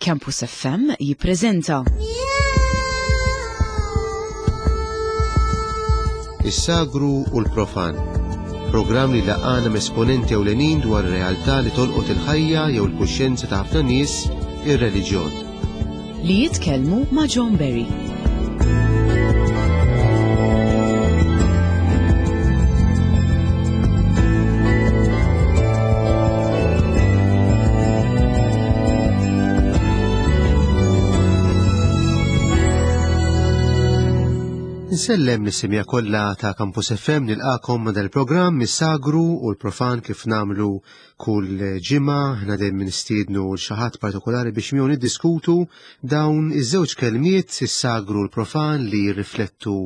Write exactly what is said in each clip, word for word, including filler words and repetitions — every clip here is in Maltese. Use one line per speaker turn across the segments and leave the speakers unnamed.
Campus F M jippreżenta
Is-Sagru u l-Profan. Programm li jlaqqagħna m'esponenti ewlenin dwar realtà li tolqot il-ħajja jew il-kuxjenza ta' ħafna nies, ir-reliġjon.
Li jitkellmu ma' John Berry.
Nsellem lis-semmiegħa kollha ta' Campus F M, nilqagħkom ma' dal-programm Is-Sagru u l-Profan. Kif nagħmlu kull ġimgħa, aħna dejjem nistiednu lil xi ħadd partikolari biex miegħu niddiskutu dawn iż-żewġ kelmiet, is-sagru u l-profan, li jirriflettu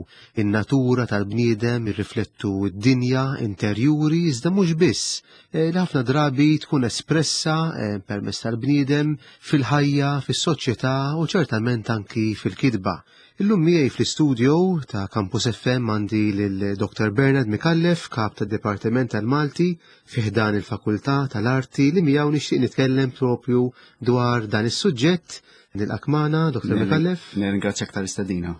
in-natura tal-bniedem, jirriflettu d-dinja interjuri, iżda mhux biss, eh, li ħafna drabi tkun espressa eh, permezz tal-bniedem fil-ħajja, fis-soċjetà u ċertament anki fil-kitba. Illum miegħi fl-istudio ta' Campus F M għandi lil Doctor Bernard Micallef, kap tad-Dipartiment tal-Malti fi ħdan il-Fakultà tal-Arti, li miegħu nixtieq nitkellem propju dwar dan is-suġġett. Nilqgħek magħna, Doctor Micallef.
Nirringrazzjak tal-istedina.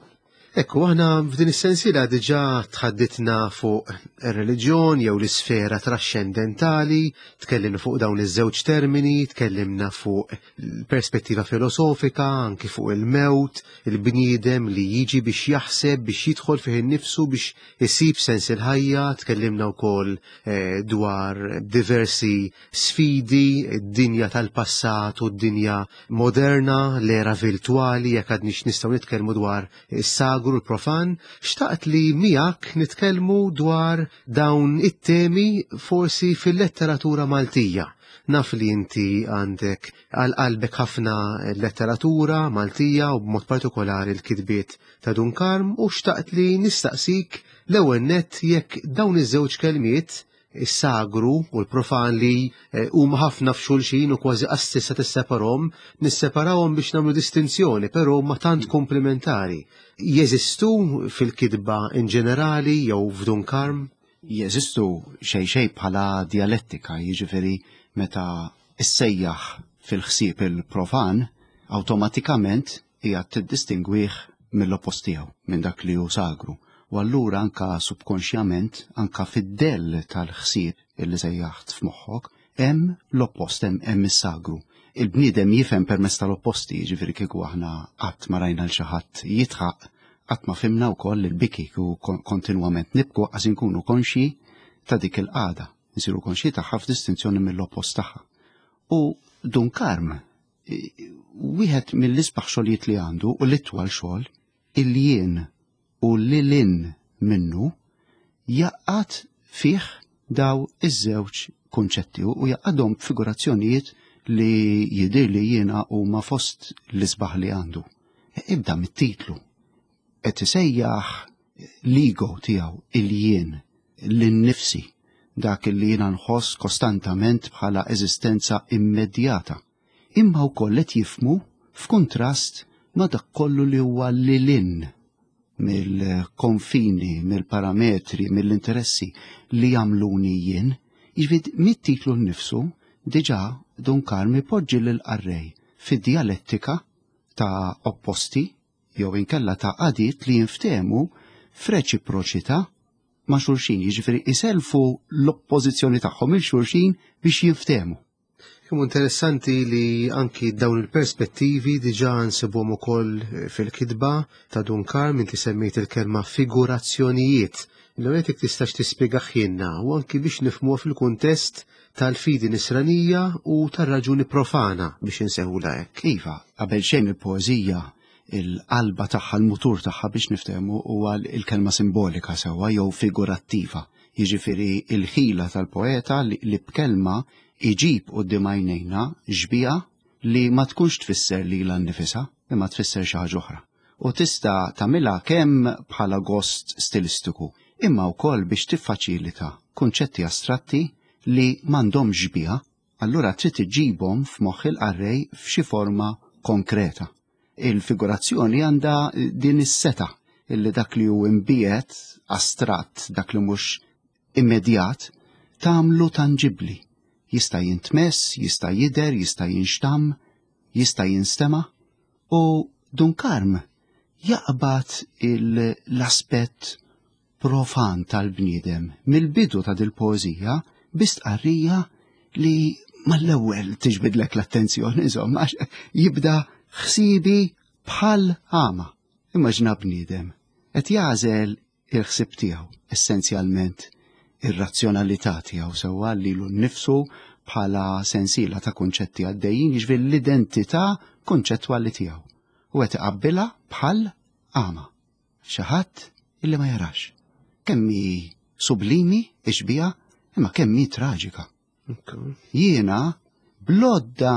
Ekku, aħna f'din is-sensiela diġà tħadditna fuq ir-reliġjon jew l-isfera trascendentali, tkellimna fuq dawn iż-żewġ termini, tkellimna fuq perspettiva filosofika, anki fuq il-mewt, il-bniedem li jiġi biex jaħseb, biex jidħol fih innifsu, biex isib sens il-ħajja, tkellimna wkoll eh, dwar diversi sfidi, id-dinja tal-passat u d-dinja moderna, l-era virtuali, jekk għadniex nistgħu nitkellmu dwar is-sagru u l-profan. Xtaqt li miegħek nitkellmu dwar dawn it-temi forsi fil-letteratura Maltija. Naf li inti għandek għal qalbek ħafna letteratura Maltija u b'mod partikolari l-kitbiet ta' Dun Karm, u xtaqt li nistaqsik l-ewwel nett jekk dawn iż-żewġ kelmiet, is-sagru u l-profan, li eh, huma ħafna f'xulxin u kważi qas tista' tisseparahom, nisseparawhom biex nagħmlu distinzjoni, però ma tant komplementari. Jeżistu fil-kitba in ġenerali jew f'Dun Karm?
Jeżistu xej xej bħala dialettika, jiġifieri meta issejjaħ fil-ħsieb il-profan, awtomatikament hija tiddistingwih mill-oppost tiegħu, minn dak li hu sagru. U allura anka subkonxjament, anka fid-dell tal-ħsieb illi sejjaħt f'moħħok, hemm l-oppost, hemm hemm is-sagru. Il-bniedem jifhem permezz tal-opposti, jiġifieri kieku aħna qatt ma rajna l xi ħadd jidħaq, qatt ma fhimna wkoll il-biki, u kontinwament nibku għax inkunu konxji ta' dik il-qagħda, nsiru konxji tagħha f'distinzjoni mill-oppost tagħha. U Dun Karm, wieħed mill-isbaħ xogħlijiet li għandu u l-itwal xogħol, il-jien u lil hinn minnu, jgħaqqad fih daw iż-żewġ kunċetti u jgħaqqadhom figurazzjonijiet li jidir li jiena huma fost l-isbaħ li għandu. Ibda mit-titlu. Qed isejjaħ l-ego tiegħu, il-jien, l-nifsi, dak li jiena nħoss kostantament bħala eżistenza immedjata. Imma wkoll qed jifhmu f'kuntrast ma' dak kollu li huwa lil hinn mill-konfini, mill-parametri, mill-interessi li jagħmluni jien. Jiġifieri mit-titlu nnifsu diġà Dun Karm ipoġġi lil qarrej fid-dialettika ta' opposti jew inkella ta' qagħdiet li jinftehmu f'reċiproċità ma' xulxin, jiġifieri iselfu l-oppożizzjoni tagħhom lil xulxin biex jinftehmu.
Kemm interessanti li anki dawn il-perspettivi diġà nsibuhom ukoll fil-kitba ta' Dun Karm. Inti semmejt il-kelma figurazzjonijiet. L-ewwel tistax tispjegahielna u anki biex nifhmuha fil-kuntest tal-fidi nisranija u tar-raġuni profana, biex insejħulha hekk.
Iva, qabel xejn il-poeżija, il-qalba tagħha, l-mutur tagħha biex niftehmu, huwa il-kelma simbolika sewwa jew figurattiva. Jiġifieri il-ħila tal-poeta li, li b'kelma iġib quddiem għajnejna xbieha li ma tkunx tfisser lilha nnifisha, imma tfisser xi ħaġa oħra. U tista' tagħmilha kemm bħala gost stilistiku, imma wkoll biex tiffaċilita kunċetti astratti li m'għandhomx xbieha, allura trid iġibhom f'moħħ il-qarrej f'xi forma konkreta. Il-figurazzjoni għandha din is-setgħa illi dak li hu imbiegħed, astratt, dak li mhux immedjat, tagħmlu tangibli. Jista' jintmess, jista' jidher, jista' jinxtam, Jista' jinstema' u Dun Karm jaqbad l-aspett profan tal-bniedem mill-bidu ta' dil-poeżija bi stqarrija li mal-ewwel tiġbidlek l-attenzjoni, insomma, jibda ħsibi bħal għama. Immaġina bniedem qed jagħżel il-ħsieb tiegħu, essenzjalment ir-razzjonalità tiegħu sewwa lilu nnifsu bħala sensiela ta' kunċetti għaddejjin, jiġifieri l-identità konċettwali tiegħu. U qed iqabbilha bħal għama, xi ħadd illi ma jarax. Kemm hi sublimi ix-xbieha, imma kemm hi traġika. Jiena bl-għodda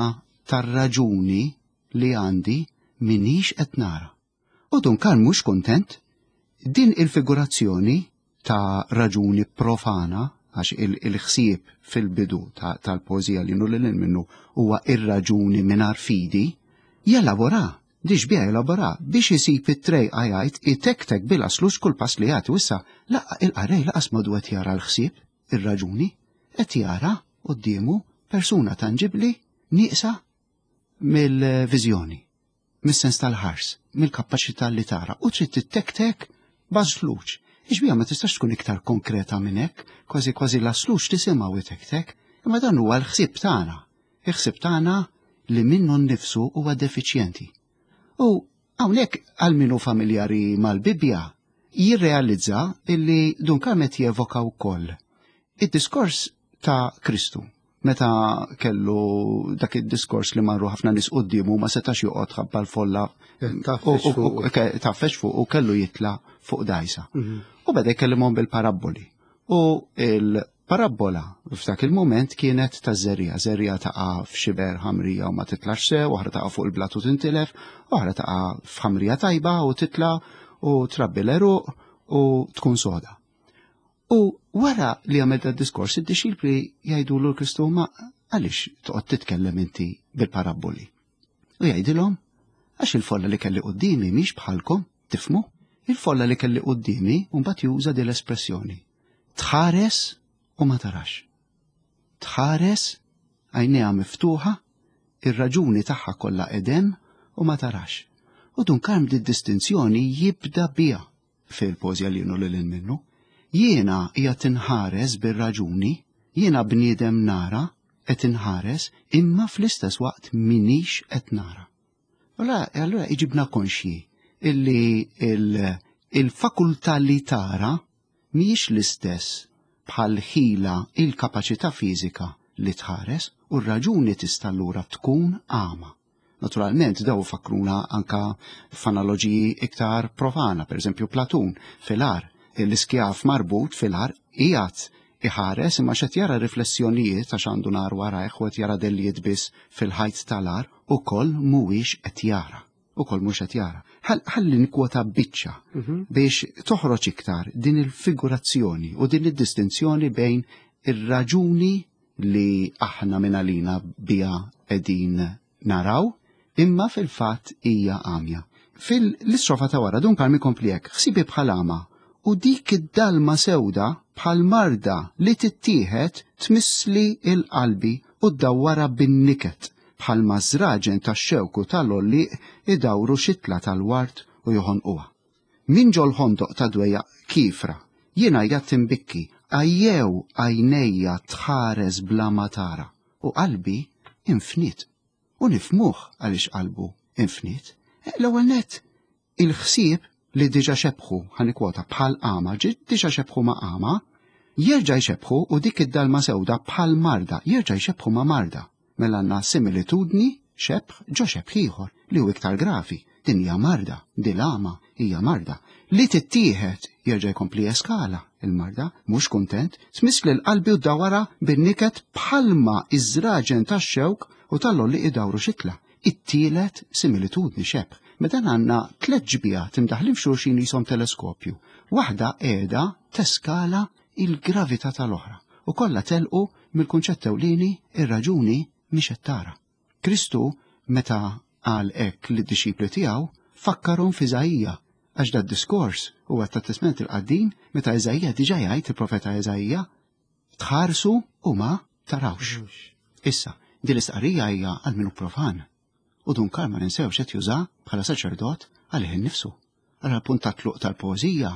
tar-raġuni li għandi minix qed nara. U Dun Karm mhux kuntent. Din il-figurazzjoni ta' raġuni profana, għax il-ħsieb fil-bidu tal-poeżija li nulil minnu huwa ir-raġuni mingħajr fidi, jelabora, diġ bija jelabora biex isib it-trejqa jgħid itektek bil-aslux kull pass li jagħti. Issa laqqa il-qarrej laqas modu qed jara l-ħsieb, ir-raġuni, qed jara quddiemu persuna tanġibli nieqsa mill-viżjoni, mis-sens tal-ħars, mill-kapaċità li tara, u trid tittektek bażluċ. Ix-xbieha ma tistax tkun iktar konkreta minn hekk, kważi kważi l-aslux tisimgħu itektek, imma dan huwa l-ħsieb tagħna. Il-ħsieb tagħna li minnu nnifsu huwa defiċjenti. U hawnhekk għal min hu familjari mal-Bibbja jirrealizza illi Dun Karm qed jevoka wkoll id-diskors ta' Kristu. Meta kellu dak id-diskors li marru ħafna nies quddiemu ma setax joqgħod ħabba l-folla taffex fuq u kellu jitla' fuq dajsa. U beda jkellimhom bil-parabboli. U il-parabbola f'dak il-moment kienet ta' żerriegħa, żerriegħa taqa' f'xiber ħamrija u ma titlax sew, oħra taqa' fuq il-blat u tintilef, oħra taqa' f'ħamrija tajba u titla' u trabbi l-għeruq u tkun soda. U wara li għamel da diskors, id-dixxipli jgħidu lil Kristu, ma għaliex toqgħod titkellem inti bil-parabboli? U jgħidilhom, għax il-folla li kelli quddiemi mhix bħalkom, tifmu? Il-folla li kelli quddiemi u mbagħad juża din l-espressjoni. Tħares u ma tarax. Tħares, għajnejha miftuħa, ir-raġuni tagħha kollha edem u ma tarax. U Dun Karm di distinzjoni jibda biha fil-poeżija li jenu lil minnu. Jiena hija tinħares bir-raġuni, jiena bniedem nara qed inħares, imma fl-istess waqt minix qed nara. Allora, allora iġibna konxji illi il-fakultà li tara mhijiex l-istess bħal ħila il-kapaċità fiżika li tħares, u r-raġuni tista' allura tkun għama. Naturalment, daw fakruna anka f'analoġiji iktar profana, per eżempju Platun fil-għar, l-iskjaf marbut fil-għar qiegħed iħares imma x'qed jara riflessjonijiet għax għandu nar warajh u qed jara dellijiet biss fil-ħajt tal-għar, ukoll mhuwiex qed jara. Ukoll mhux qed jara. Ħalli nkwota biċċa biex toħroġ iktar din il-figurazzjoni u din id-distinzjoni bejn ir-raġuni li aħna minn għalina biha qegħdin naraw, imma fil-fatt hija għamja. Fil-istrofa ta' wara Dun Karm ikompli hekk, ħsibi bħal għama u dik id-dalma sewda bħal marda li tittieħed tmissli il-qalbi u ddawwara bin-niket bħal mażraġen tax-xewk u tal-għollieq idawru xitla tal-ward u joħonquha. Min ġol ħondoq ta' dwejja kifra, jiena jgħat imbikki, għajjew għajnejja tħares bla ma tara u qalbi infnit. U nifmuh għaliex qalbu infnit. L-ewwel nett il-ħsieb li diġa xebħu, ħanikwota, bħal għama, diġa xebħu ma' għama, jerġa' jxebħu u dik id-dalma sewda bħal marda, jerġa' jxebħu ma' marda. Mela għandna similitudni xebħ ġo xebħ ieħor li hu iktar gravi. Din hija marda, din l-għama hija marda. Li tittieħed jerġa' jkompli eskala il-marda, mhux kuntent, tmiss lil qalbi u dawara bin-niket bħalma iż-żraġen tax-xewk u tal-għolli idawru xitla. It-tielet similitudni xebħ. Meta għandna tliet ġbijat imdaħlin f'xulxin jisom teleskopju. Waħda qiegħda teskala il-gravità tal-oħra u kollha telqu mill-kunċett ewlieni ir-raġuni mhix qed tara. Kristu meta qal hekk lid-dixxipli tiegħu fakkarhom f'Iżaija, għax dat diskors huwa tat-Testament il-Qadim meta Iżaija diġà jgħid il-profeta Iżaija tħarsu u ma tarawx. Issa, din l-istqarrija hija għal min hu profan. U Dun Karm ma ninsewx qed juża bħala saċerdot għalih innifsu. Allura punt ta' tluq tal-poeżija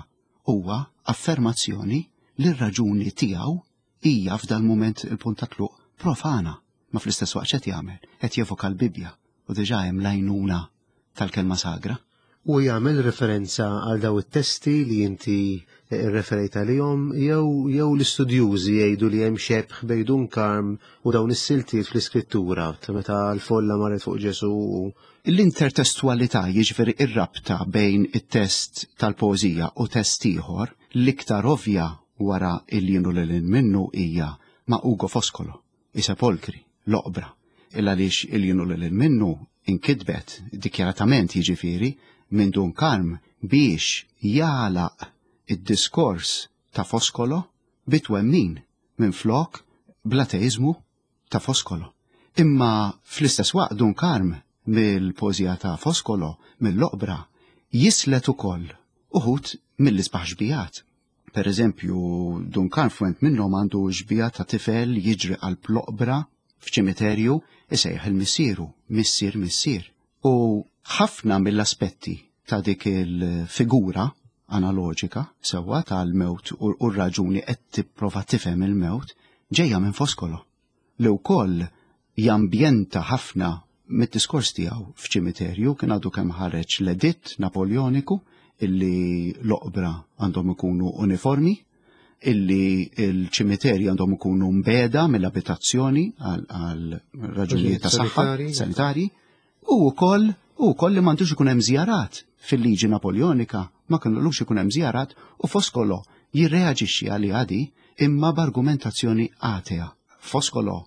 huwa affermazzjoni li r-raġuni tiegħu hija f'dal mument il-punt ta' tluq profana, ma fl-istess waqt qed jagħmel, qed jevoka l-Bibbja u diġà hemm l-għajnuna tal-kelma sagra.
U jagħmel referenza għal daw it-testi li inti referejt għalihom jew jew l-istudjużi jgħidu li hemm xebh bejn Dun Karm u dawn is-siltiet fl-iskrittura ta' meta l-folla marret fuq Ġesù.
L-intertestualità, jiġifieri ir-rabta bejn it-test tal-poeżija u test ieħor, l-iktar ovvja wara il-jien u lil hinn minnu hija ma' Ugo Foscolo, i Sepolcri, l-oqbra. Illa għaliex il-jien u lil hinn minnu inkitbet dikjaratament jiġifieri minn Dun Karm biex jagħlaq id-diskors ta' Foscolo bit-twemmin minn flok bl-ateizmu ta' Foscolo. Imma fl-istess waqt Dun Karm mill-poeżija ta' Foscolo, mill-oqbra, jislet ukoll uħud mill-isbaħ xbijat. Per eżempju, Dun Karm f'went minnhom għandu xbija ta' tifel jiġri qalb l-oqbra f'ċimiterju isejjaħ il-missieru, missier, missier. U ħafna mill-aspetti ta' dik il-figura analoġika sewwa tal-mewt u r-raġuni qed tipprova tifhem il-mewt ġejja minn Foscolo, li wkoll jambjenta ħafna mid-diskors tiegħu f'ċimiterju. Kien għadu kemm ħareġ l-editt Napoleoniku illi l-oqbra għandhom ikunu uniformi, illi l-ċimiterji għandhom ikunu mbeda mill-abitazzjoni għal raġunijiet ta' saħħa sanitarji, u wkoll u wkoll li m'għandux ikun hemm żjarat. Fil-liġi Napoleonika ma kinux ikun hemm żjarat, u Foscolo jirreaġixxi għal għadi imma b'argumentazzjoni atea. Foscolo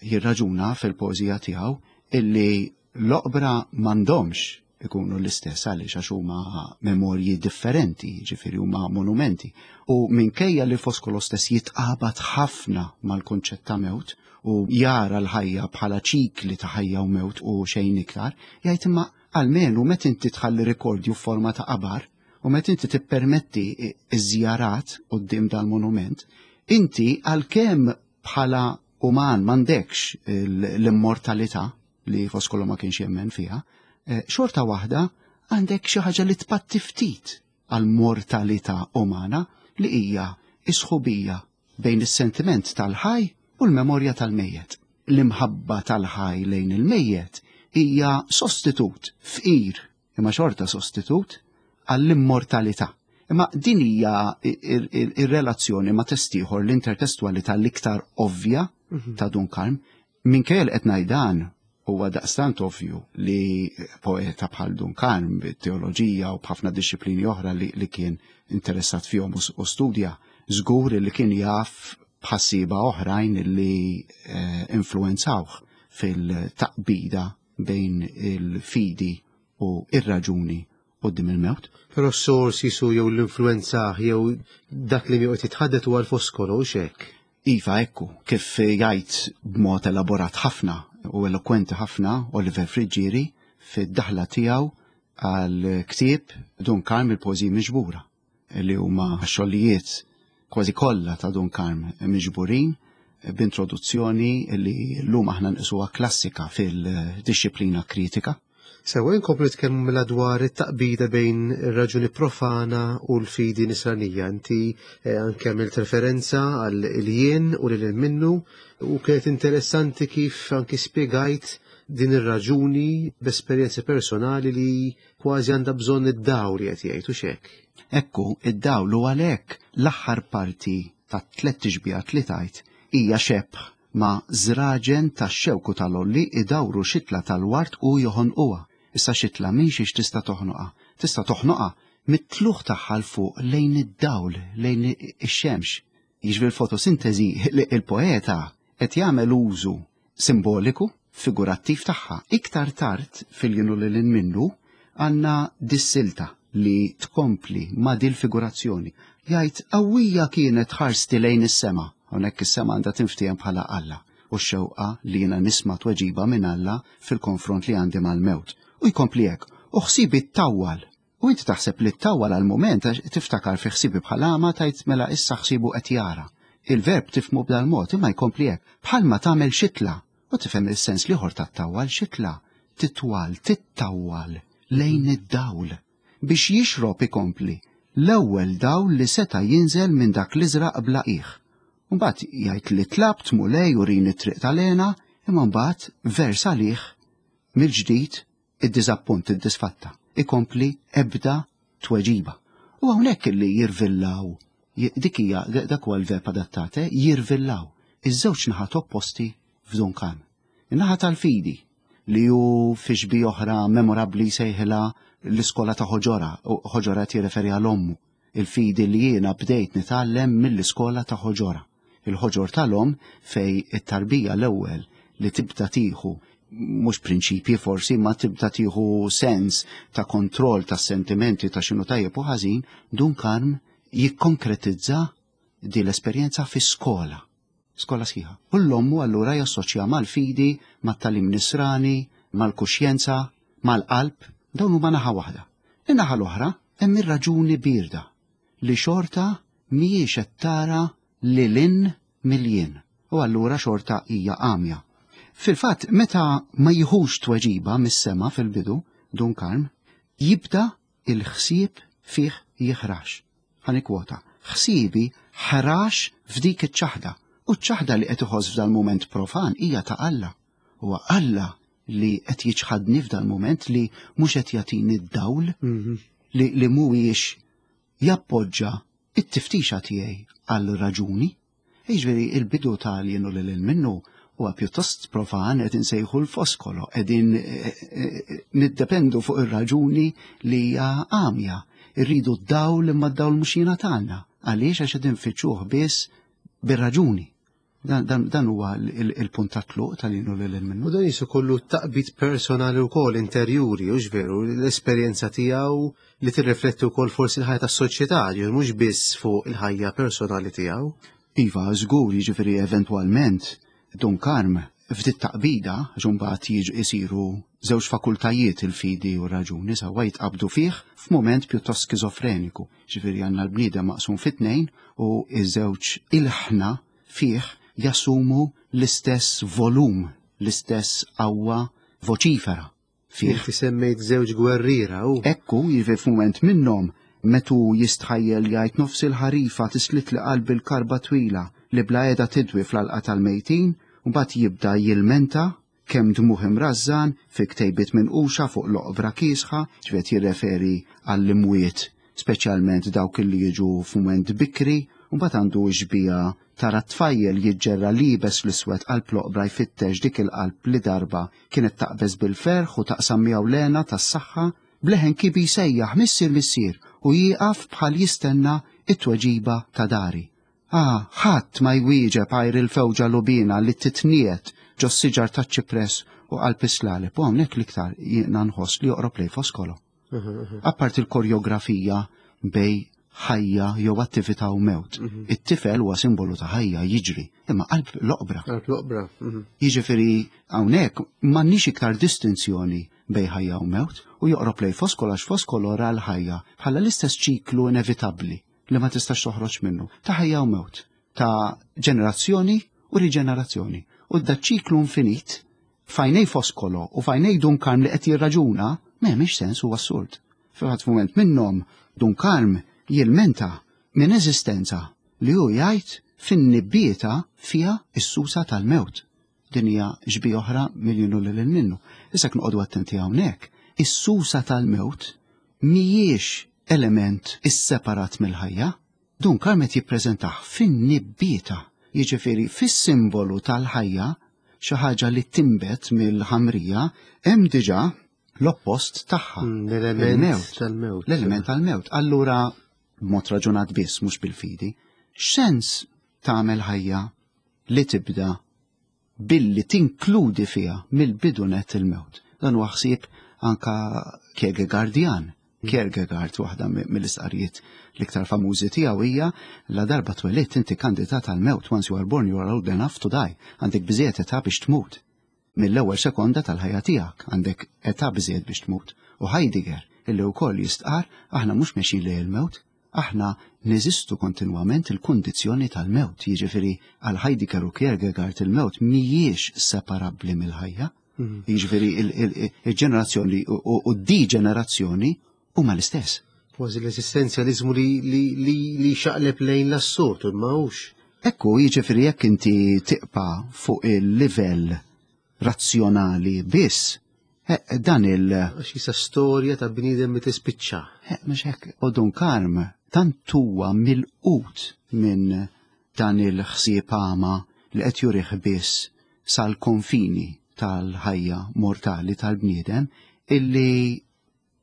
jirraġuna fil-poeżija tiegħu illi l-oqbra m'għandhomx ikunu l-istess għaliex għax huma memorji differenti, ġifieri huma monumenti. U minkejja li Foscolo stess jitqabad ħafna mal-konċett ta' mewt u jara l-ħajja bħala ċikli ta' ħajja u mewt u xejn iktar, jgħid imma almenu meta inti tħalli rikordju f'forma ta' qabar u meta inti tippermetti iż-żjarat quddiem dal-monument, inti għalkemm bħala uman m'għandekx l-immortalità li Foscolo ma kienx jemmen fiha, xorta waħda għandek xi ħaġa li tpatti ftit għal-mortalità umana li hija isħubija bejn is-sentiment tal-ħaj u l-memorja tal-mejjet. L-imħabba tal-ħaj lejn il-mejjet hija sostitut fqir, imma xorta sostitut għall-immortalità. Imma din hija ir-relazzjoni ma' test ieħor, l-intertestualità l-iktar ovvja ta' Dun Karm. Minkejja li qed ngħid dan, huwa daqstant ovvju li poeta bħal Dun Karm bit-teoloġija u b'ħafna disċiplini oħra li, li kien interessat fihom u studja, żgur li kien jaf b'ħassiba oħrajn li eh, influenzawh fil-taqbida bejn il-fidi u ir-raġuni quddiem il-mewt.
Però s-sors jisu jew l-influenza jew dak li miegħu jitħaddet huwa l-Foscolo u xek.
Iva, ekku, kif jgħid b'mod elaborat ħafna u elokwenti ħafna Oliver Friggieri fid-daħla tiegħu għal ktieb Dun Karm il-Poeżiji Miġbura, li huma xogħlijiet kważi kollha ta' Dun Karm miġburin b'introduzzjoni li llum aħna nqisuha klassika fil-dixxiplina kritika.
Sewa, inkomplu nitkellmu mela dwar it-taqbida bejn ir-raġuni profana u l-fidi nisranija. Inti eh, anke għamilt referenza għal il-jien u lil minnu u kienet interessanti kif anke spjegajt din ir-raġuni b'esperjenzi personali li kważi għandha bżonn id-dawl li qed jgħid u xek.
Ekku, id-dawl u għalhekk l-aħħar parti ta' tliet tixbihat li tajt hija xebh ma' żraġen tax-xewku tal-olli idawru xitla tal-wart u joħonquha. Issa xitla minn xiex tista' toħnoqha? Tista' toħnoqha mit-tluħ tagħha l fuq lejn id-dawl, lejn ix-xemx. Jiġifieri l-fotosintesi li il-poeta qed jagħmel użu simboliku, figurattiv tagħha. Iktar tard fil-jien u lil hinn minnu għandna dis-silta li tkompli ma' dil-figurazzjoni. Jgħid qawwija kienet ħarsti lejn is-sema. Hawnhekk is-sema għandha tinftiehem bħala Alla u x-xewqa li jiena nisma' tweġiba minn Alla fil-konfront li għandi mal-mewt. U jkompli hekk, u ħsibi ttawwal. U inti taħseb li ttawwal għal-mument għax tiftakar fi ħsibi bħala għama tajt mela issa ħsibu qed jara. Il-verb tifhmu b'dal-mod imma jkompli hekk, bħalma tagħmel xitla. U tifhem is-sens l-ieħor tat-tawwal xitla. titwal, tittawwal lejn id-dawl biex jixrob ikompli l-ewwel dawl li seta' jinżel minn dak l-iżraq bla qiegħ. Mbagħad jgħid li tlabt Mulej urini t-triq tal-hena, imma mbagħad vers għalih mill-ġdid id-diżappunt, id-disfatta. Ikompli ebda tweġiba. U hawnhekk li jirvillaw, dik hija dak huwa l-verb adattat, jirvillaw iż-żewġ naħat opposti f'Dun Karm. In-naħa tal-fidi li hu fi xbieha oħra memorabbli sejħilha l-iskola ta' ħoġora, u ħoġora tirreferi għal ommu. Il-fidi li jiena bdejt nitgħallem mill-iskola ta' ħoġora. Il-ħoġor tal-om fej it-tarbija l-ewwel li tibda tieħu mhux prinċipji forsi, ma tibda tieħu sens ta' kontroll ta' sentimenti ta' x'inhu tajjeb u ħażin, Dun Karm jikkonkretizza di l-esperjenza fi skola. Skola sħiħa. U l-ommu allura jassoċja mal-fidi, mat-tagħlim nisrani, mal-kuxjenza, mal-qalb, dawn huma naħa waħda. In-naħa l-oħra hemm ir-raġuni bierda li xorta mhijiex qed tara lil hinn mill-jien u allura xorta hija għamja. Fil-fatt, meta ma jieħux tweġiba mis-sema fil-bidu, Dun Karm, jibda il-ħsieb fih jiħrax. Ħa nikkwota, ħsiebi ħrax f'dik iċ-ċaħda. U ċ-ċaħda li qed iħoss f'dal-mument profan hija ta' Alla. Huwa Alla li qed jiċħadni f'dal-mument li mhux qed jagħtini d-dawl li, li mhuwiex jappoġġa it-tiftixa tiegħi għal raġuni. Jiġifieri il-bidu tal-jien u lil hinn minnu huwa pjuttost profan qed insejħu l-Foscolo, qegħdin niddependu fuq ir-raġuni li hija għamja. Irridu d-dawl imma d-dawl mhux jingħatalna. Għaliex għax qed infittxuh biss bir-raġuni. Dan, dan, dan huwa il-punt ta' tluq tal-jien u lil hinn minnu.
U dan jisu kollu taqbid personali wkoll interjuri, u veru, l-esperjenza tiegħu li tirrifletti wkoll forsi l-ħajja tas-soċjetà, ġifieri mhux biss fuq il-ħajja personali tiegħu.
Iva, żgur, jiġifieri eventwalment Dun Karm ftit taqbida, ġumbat jiġu isiru żewġ fakultajiet il-fidi u raġuni sewwa jitqabdu fih f'mument pjuttost skizofreniku. Ġifieri għandna l-bniedem maqsum fit-tnejn u iż-żewġ ilħna fih jassumu l-istess volum, l-istess qawwa voċifera. Fih.
Inti semmejt żewġ gwerriera u.
Ekku, jiġifieri f'mument minnhom metu jistħajjel jgħid nofs il-ħarifa tislit li qalbi l-karba twila li bla qiegħda tidwi fl-alqa tal-mejtin, u mbagħad jibda jilmenta kemm dmuħ imrażżan fi ktejbiet minquxa fuq l-oqbra kiesħa, ġifieri jirreferi għall-imwiet, speċjalment dawk li jiġu f'mument bikri, u mbagħad għandu xbieha tara tfajjel jiġġerra liebes l-iswed qalb l-oqbra jfittex dik il-qalb li darba kienet taqbeż bil-ferħ u taqsam miegħu l-hena tas-saħħa, bleħen kibi jsejjaħ missier missier u jieqaf bħal jistenna it-tweġiba ta' dari. Ah, ħadd ma jwieġeb għajr il-fewġa lubina li titniet ġo siġar taċ-ċipress u qalb is-slaleb. U hawnhekk l-iktar jiena nħoss li joqrob lej Foscolo. Apart il-koreografija bej ħajja jew attività u mewt. It-tifel huwa simbolu ta' ħajja jiġri, imma qalb l-oqbra.
Qalb l-oqbra. mhm.
Jiġifieri hawnhekk m'għandniex iktar distinzjoni bej ħajja u mewt u joqrob lej Foscolo għax Foscolo ra l-ħajja bħala l-istess ċiklu inevitabbli li ma tistax toħroġ minnu ta' ħajja u mewt, ta' ġenerazzjoni u riġenerazzjoni. U da ċiklu infinit f'għajnejn Foscolo u f'għajnejn Dun Karm li qed jirraġuna m'hemmx sens u assurd. Fil-fatt f'mument minnhom Dun Karm jilmenta minn eżistenza li hu jgħid fin-nibbieta fiha is-susa tal-mewt. Din hija xbieha oħra mill-jien u lil hinn minnu. Issa noqogħdu attenti hawnhekk. Is-susa tal-mewt mhijiex element isseparat mill-ħajja. Dun Karm qed jippreżentah fin-nibbieta, jiġifieri fis-simbolu tal-ħajja, xi ħaġa li timbet mill-ħamrija, hemm diġà l-oppost tagħha.
Mm, L-element
Il-mewt.
tal-mewt.
L-element tal-mewt. Allura, b'mod raġunat biss, mhux bil-fidi, x'sens tagħmel ħajja li tibda billi tinkludi fiha mill-bidu net il-mewt. Dan huwa ħsieb anka Kierkegaardian. Kierkegaard, waħda mill-istqarrijiet l-iktar famużi tiegħu hija la darba twelidt inti kandidat għal-mewt, once you are born you are old enough to die. Għandek biżejjed età biex tmut. Mill-ewwel sekonda tal-ħajja tiegħek għandek età biżejjed biex tmut. U Heidegger illi wkoll jistqar aħna mhux mexjin lejn il-mewt, aħna neżistu kontinwament il-kundizzjoni tal-mewt. Jiġifieri għal Heidegger u Kierkegaard il-mewt mhijiex separabbli mill-ħajja. Jiġifieri il-ġenerazzjoni u d-diġenerazzjoni huma l-istess.
Kważi l-eżistenzjaliżmu li, li, li, li xaqleb lejn l-assurd, imma hux.
Ekku, jiġifieri jekk inti tibqa' fuq il-livell razzjonali biss, eh, dan il-
Għax jisa storja ta' bniedem li tispiċċa.
Eh, mhux hekk, u Dun Karm tant huwa milqut minn dan il-ħsieb għama li qed jurih biss sal-konfini tal-ħajja mortali tal-bniedem illi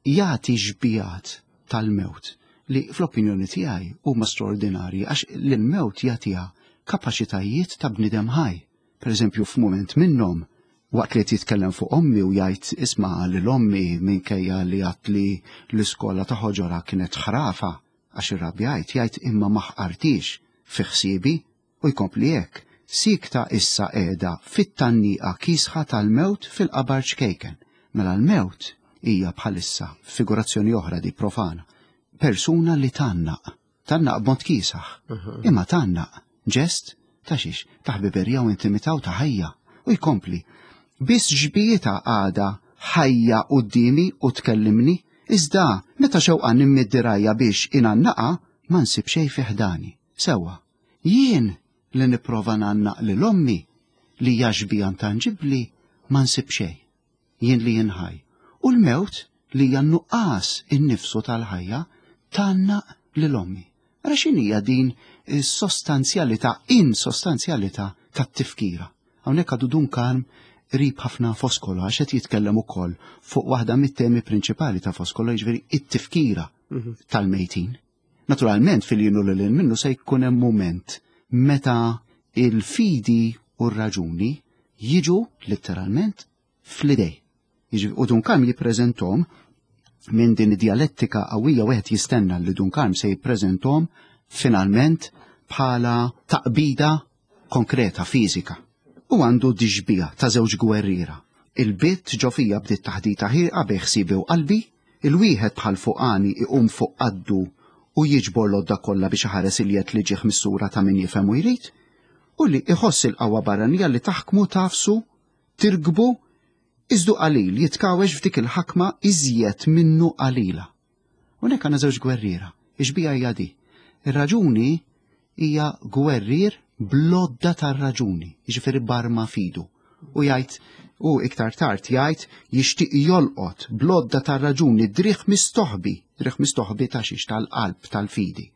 jagħti xbihat tal-mewt li fl-opinjoni tiegħi huma straordinarji għax l-mewt jagħtiha kapaċitajiet ta' bniedem ħaj. Per eżempju, f'mument minnhom waqt li qed jitkellem fuq ommi u jgħid isma' lil ommi minkejja li għat li l-iskola ta' ħoġora kienet ħrafa għax irrabjajt jgħid imma ma ħqartix fi ħsiebi u jkompli hekk. Sikta issa qiegħda fit-tanniqa kisħa tal-mewt fil-qabar ċkejken. Mela l-mewt hija bħalissa figurazzjoni oħra di profana. Persuna li tannaq, tannaq b'mod kiesaħ, imma tannaq ġest ta' xiex, ta' ħbiberija u intimità u ta' ħajja. U jkompli, biss xbieha għadha ħajja quddiemi u tkellimni, iżda meta xewqan immid dirgħajja biex ingħannaqa ma nsib xejn fi ħdani. Sewwa, jien li nipprova ngħannaq lil ommi li hija xbieha intanġibbli ma nsib xejn. Jien li jien ħaj. U l-mewt li hija nuqqas innifsu tal-ħajja tgħannaq lil ommi. Ara x'inhija din is-sostanzjalità, insostanzjalità tat-tifkira. Hawnhekk għadu Dun Karm qrib ħafna Foscolo għax qed jitkellem ukoll fuq waħda mit-temi prinċipali ta' Foscolo, jiġifieri it-tifkira tal-mejtin. Naturalment fil-jien u lil minnu se jkun hemm mument meta il-fidi u r-raġuni jiġu letteralment fl-idej. Jiġifieri, u Dun Karm jippreżentom minn din id-dialettika qawwija wieħed jistenna li Dun Karm se jippreżentom finalment bħala taqbida konkreta, fiżika. U għandu dixbija ta' żewġ gwerriera. Il-bit ġo fija bdiet taħdita ħirqa bejn ħsiebi u qalbi, il-wieħed bħal fuqani iqum fuq qaddu u jiġbor l-għodda kollha biex iħares il-jed li ġieħ mis-sura ta' min jifhem u jrid, u li iħoss il-qawwa barranija li taħkmu tafsu, tirkbu, iżdu qalil jitkawwex f'dik il-ħakma iżjed minnu qalila. Hawnhekk għandna żewġ gwerriera, ix-xbieha hija di. Ir-raġuni hija gwerrier bl-għodda tar-raġuni, jiġifieri barma fidu. U jgħid, u iktar tard jgħid jixtieq jolqot bl-għodda tar-raġuni driħ mistoħbi, driħ mistoħbi ta' xiex tal-qalb tal-fidi.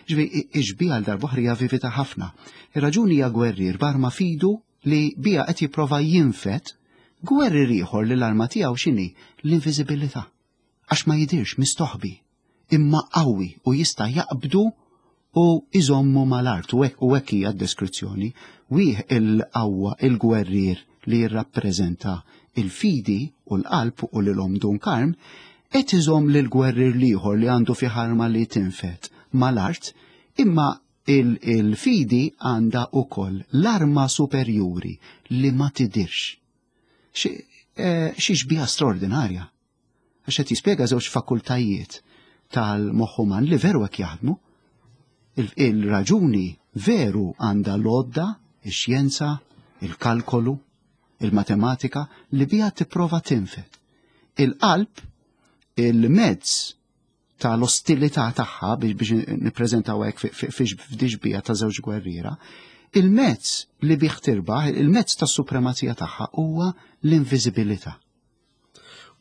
Ġifieri ix-xbieha għal darb'oħra hija vivida ħafna. Ir-raġuni hija gwerrier barma fidu li bija qed jipprova jinfed gwerrier ieħor li l-arma tiegħu x'inhi l-inviżibilità. Għax ma jidirx mistoħbi, imma qawwi u jista' jaqbdu u iżommu mal-art u hekk u hekk hija d-deskrizzjoni. Wieħ il-qawwa il-gwerrier li jirrappreżenta il-fidi u l-qalb u lil omm Dun Karm qed iżomm lil gwerrier l-ieħor li għandu fi ħarma li tinfed mal-art, imma il-fidi għandha ukoll l-arma superjuri li ma tidirx. Xi xbieha straordinarja. Għax qed jispjega żewġ fakultajiet tal-moħħ uman li veru hekk jaħdmu. Il-raġuni veru għandha l-għodda, ix-xjenza, il-kalkolu, il-matematika li bija tipprova tinfed. Il-qalb, il-mezz tal-ostilità tagħha biex biex nippreżentaw hekk f'dixbija ta' żewġ gwerriera, il-mezz li bih tirbaħ, il-mezz tas-supremazija tagħha huwa l-inviżibilità.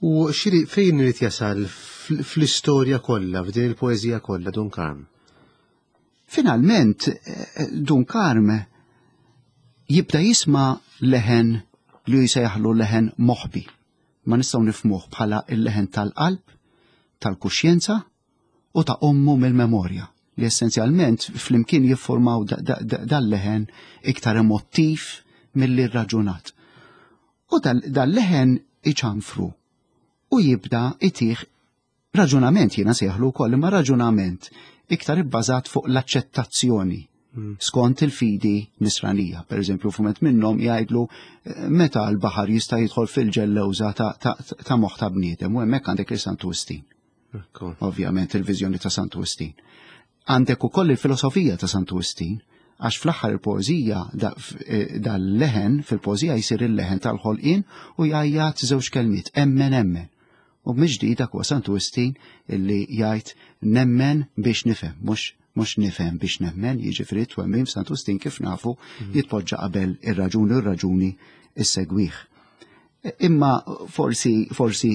U xiri fejn irid jasal fl-istorja kollha, f'din il-poeżija kollha, Dun Karm?
Finalment, Dun Karm jibda jisma' leħen li jsejjaħlu leħen moħbi. Ma nistgħu nifhmuh bħala il-leħen tal-qalb, tal-kuxjenza u ta' ommu mill-memorja, li essenzjalment flimkien jiffurmaw dal-leħen iktar emottiv milli raġunat. U dal-leħen iċanfru u jibda itih raġunament, jiena sejħlu wkoll, imma raġunament iktar ibbażat fuq l-aċċettazzjoni skont il-fidi nisranija. Per eżempju, fumet minnhom jgħidlu meta l-baħar jista' jidħol fil-ġellewża ta' moħħ ta' bniedem, u hemmhekk għandek il Santu Wistin. Ovvjament il-viżjoni ta' Santu Wistin. Għandek ukoll il-filosofija ta' Santu Wistin, Għax fl-aħħar il-poeżija dal-leħen fil-poeżija jsir il-leħen tal-ħolqien u jgħajjat żewġ kelmiet, emmen emmen. U miġdi dak huwa Santu Wistin illi jgħid nemmen biex nifhem, mhux mhux nifhem biex nemmen, jiġifieri twemmin f'Santu Wistin kif nafu jitpoġġa qabel ir-raġuni u r-raġuni issegwih. Imma forsi forsi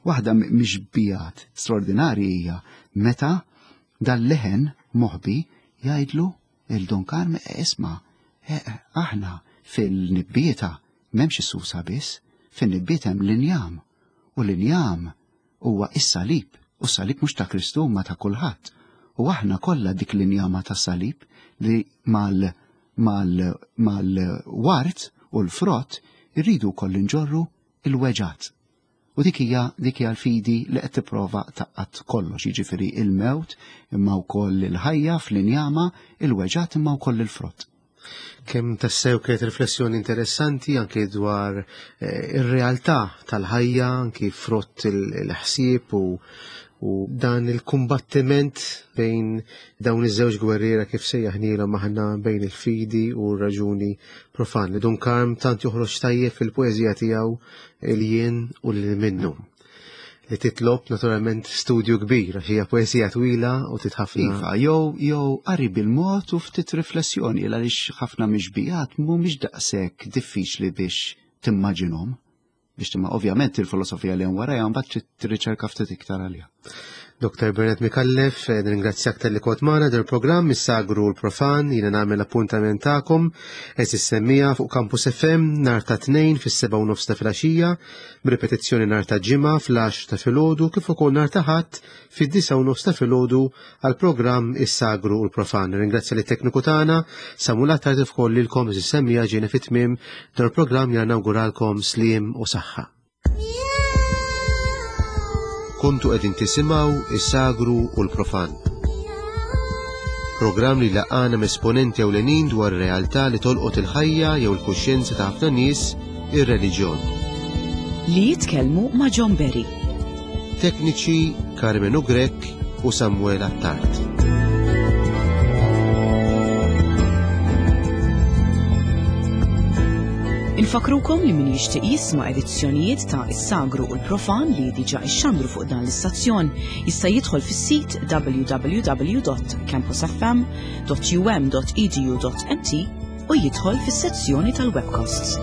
waħda mixbijat straordinarji hija meta dal-leħen moħbi jgħidlu il-Don Carme, isma', aħna fil-nibbieta m'hemmx is-susa biss, fil-nibbieta hemm l-injam, u l-injam huwa is-salib, u s-salib mhux ta' Kristu ma ta' kulħadd. U aħna kollha dik l-injama tas-salib li mal mal mal-wart u l-frott irridu wkoll inġorru il-weġat. U dik hija dik hija l-fidi li qed tipprova taqqat kollox, jiġifieri il-mewt imma wkoll il-ħajja fl-injama, il-weġat imma wkoll il-frott.
Kemm tassew kienet riflessjoni interessanti anke dwar ir-realtà tal-ħajja, anke frott il-ħsieb u u dan il-kumbattiment bejn dawn iż-żewġ gwerriera kif sejjaħnielhom aħna bejn il-fidi u r-raġuni profan. Dun Karm tant joħroġ tajjeb fil-poeżija tiegħu il-jien u lil minnu, li titlob naturalment studju kbir għax hija poeżija twila u titħafna.
Iva, jew jew qari bil-mod u ftit riflessjoni għaliex ħafna mixbijat mhumiex daqshekk diffiċli biex timmaġinhom. Biex timma ovvjament il-filosofija li hemm warajha mbagħad trid tirriċerka ftit iktar għaliha.
Doktor Bernard Micallef, nirringrazzjak talli kont magħna del programm Is-Sagru u l-Profan, jiena nagħmel appuntament tagħkom eżis semmija fuq Campus F M nhar ta' tnejn fis-sebgħa u nofs ta' filgħaxija, b'ripetizzjoni nhar ta' Ġimgħa fl-għaxra ta' filgħodu kif ukoll nhar ta' Ħadd fid-disgħa u nofs ta' filgħodu għall-programm Is-Sagru u l-Profan. Nirringrazzja lit-tekniku tagħna Samuel Attard kif ukoll lilkom eżis semmija ġejna fit-tmiem dan il-programm, jiena nawguralkom sliem u saħħa. Kontu qegħdin tisimgħu Is-Sagru u l-Profan. Programm li laqana m'esponenti ewlenin dwar ir-realtà li tolqot il-ħajja jew il-kuxjenza ta' ħafna nies, ir-reliġjon.
Li jitkellmu ma' John Berry.
Tekniċi Carmenu Grech u Samuel Attard.
Infakrukom li min jixtieq jisma' edizzjonijiet ta' Is-Sagru u l-Profan li diġà ixxandru fuq dan l-istazzjon jista' jidħol fis-sit w w w dot campus f m dot u m dot e d u dot m t u jidħol fis-sezzjoni tal-webcasts.